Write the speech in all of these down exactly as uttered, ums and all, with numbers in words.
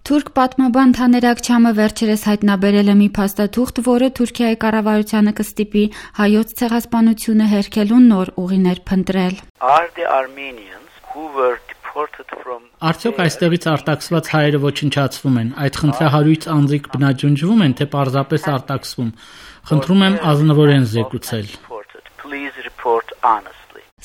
Թուրք պատմաբան Թաներ Աքչամը վերջերս հայտնաբերել է մի փաստաթուղթ, որը Թուրքիայի կառավարությանը կստիպի հայոց ցեղասպանությունը հերքելու նոր ուղիներ փնտրել։ Արդյոք այստեղից արտաքսված հայերը ոչնչացվում են, այդ խնդրահարույց անձիկ բնաջնջվում են, թե պարզապես արտաքսվում։ Խնդրում եմ ազնվորեն զեկուցել։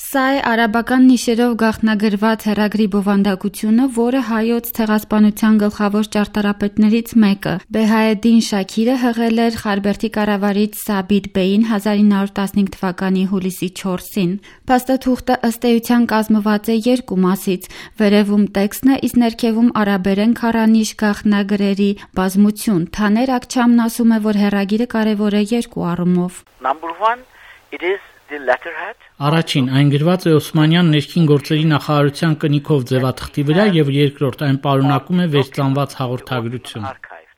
Սա է արաբական նիշերով գաղտնագրված հեռագրի բովանդակությունը, որը հայոց ցեղասպանության գլխավոր ճարտարապետներից մեկը՝ Բեհայեդին Շաքիրը հղել էր Խարբերդի կառավարիչ Սաբիտ Բեին հազար ինը հարյուր տասնհինգ թվականի հուլիսի չորսին։ Փաստաթուղթը ըստ էության կազմված է երկու մասից՝ վերևում տեքստն է, իսկ ներքևում արաբերեն քառանիշ գաղտնագրերի բազմություն։ Թաներ Աքչամն ասում է, որ հեռագիրը կարևոր է երկու առումով։ Առաջին, այն գրված է Օսմանյան ներքին գործերի նախարարության կնիքով ձևաթղթի վրա եւ երկրորդ, այն պարունակում է վերծանված հաղորդագրություն։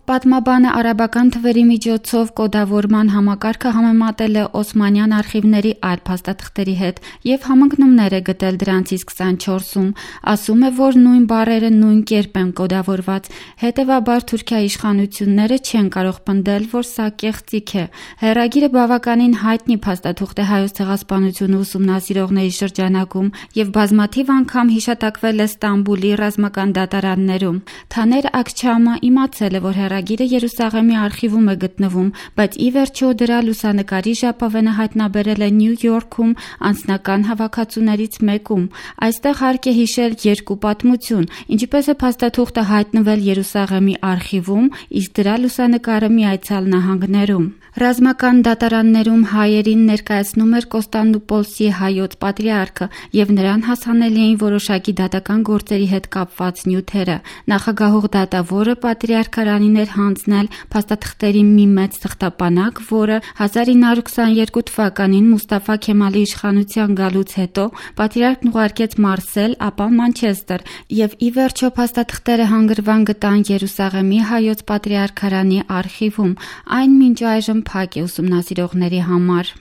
Պատմաբանը արաբական թվերի միջոցով կոդավորման համակարգը համեմատել է օսմանյան արխիվների այլ փաստաթղթերի հետ եւ համընկնումներ է գտել դրանցից քսանչորսում։ Ասում է, որ նույն բառերը նույն կերպ են կոդավորված, հետեւաբար Թուրքիայի իշխանությունները չեն կարող պնդել, որ սա կեղծիք է։ Հեռագիրը բավականին հայտնի փաստաթուղթ է հայոց ցեղասպանությունը ուսումնասիրողների շրջանակում եւ բազմաթիվ անգամ հիշատակվել է Ստամբուլի ռազմական դատարաններում։ Թաներ Աքչամը իմացել է, որ Հեռագիրը Երուսաղեմի արխիվում է գտնվում, բայց ի վերջո դրա լուսանկարի ժապավենը հայտնաբերել է Նյու Յորքում անձնական հավաքածուներից մեկում։ Այստեղ հարկ է հիշել երկու պատմություն, ինչպես է փաստաթուղթը հայտնվել Երուսաղեմի արխիվում, իսկ դրա լուսանկարը Միացյալ Նահանգներում։ Ռազմական դատարաններում հայերին ներկայացնում էր Կոստանդնուպոլսի հայոց պատրիարքը եւ նրան հասանելի էին որոշակի դատական գործերի հետ կապված նյութերը։ Նախագահող դատավորը պատրիարքարանին էր հանձնել փաստաթղթերի մի մեծ թղթապանակ, որը հազար ինը հարյուր քսաներկու թվականին Մուստաֆա Քեմալի իշխանության գալուց հետո պատրիարքն ուղարկեց Մարսել, ապա Մանչեսթեր եւ ի վերջո փաստաթղթերը հանգրվան գտան Երուսաղեմի հայոց պատրիարքարանի արխիվում։ Այն մինչ այժմ փակ է ուսումնասիրողների համար։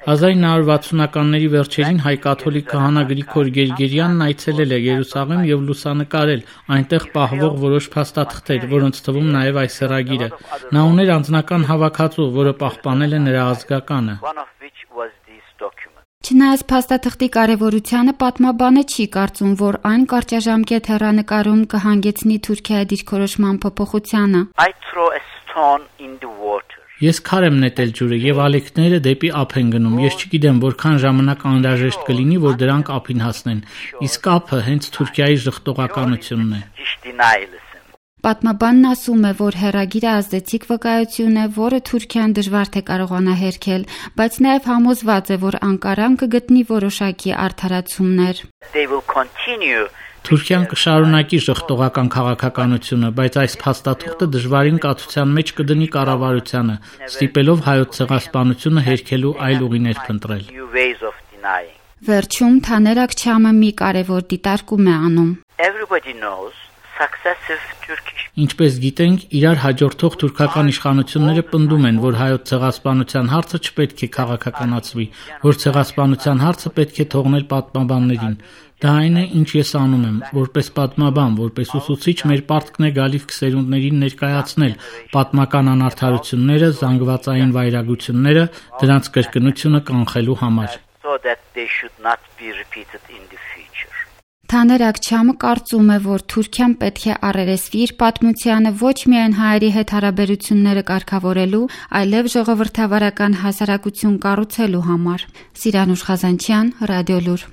հազար ինը հարյուր վաթսունականների վերջերին հայ կաթոլիկ քահանա Գրիգոր Գերգերյանն այցելել է Երուսաղեմ եւ լուսանկարել այնտեղ պահվող որոշ փաստաթղթեր, որոնց թվում նաեւ այս հեռագիրը։ Նա ուներ անձնական հավաքածու, որը պահպանել է նրա ազգականը։ Չնայած փաստաթղթի կարևորությանը, պատմաբանը չի կարծում, որ այն կարճաժամկետ հեռանկարում կհանգեցնի Թուրքիայի դիրքորոշման փոփոխությանը։ Ես քար եմ նետել ջուրը եւ ալիքները դեպի ափ են գնում։ Ես չգիտեմ որքան ժամանակ անհրաժեշտ կլինի, որ դրանք ափին հասնեն։ Իսկ ափը հենց Թուրքիայի ժխտողականությունն է։ Պատմաբանն ասում է, որ հեռագիրը ազդեցիկ վկայություն է, որը Թուրքիան դժվար թե կարողանա հերքել, բայց նաև համոզված է, որ Անկարան կգտնի որոշակի արդարացումներ։ Թուրքիան կշարունակի ժխտողական քաղաքականությունը, բայց այս փաստաթուղթը դժվարին կացության մեջ կդնի կառավարությանը, ստիպելով հայոց ցեղասպանությունը հերքելու այլ ուղիներ փնտրել։ Վերջում Թաներ Աքչամը մի կարևոր դիտարկում է անում։ Ինչպես գիտենք, իրար հաջորդող թուրքական իշխանությունները պնդում են, որ հայոց ցեղասպանության հարցը չպետք է քաղաքականացվի, որ ցեղասպանության հարցը պետք է թողնել պատմաբաններին։ Դա այն է, ինչ ես անում եմ, որպես պատմաբան, որպես ուսուցիչ մեր պարտքն է գալիք սերունդներին ներկայացնել պատմական անարդարությունները, զանգվածային վայրագությունները, դրանց կրկնությունը կանխելու համար։ Թաներ Աքչամը կարծում է, որ Թուրքիան պետք է առերեսվի իր պատմությանը ոչ միայն հայերի հետ հարաբերությունները կարգավորելու, այլև ժողովրդավարական հասարակություն կառուցելու համար։ Սիրանուշ Խազանչյան, Ռադիոլուր։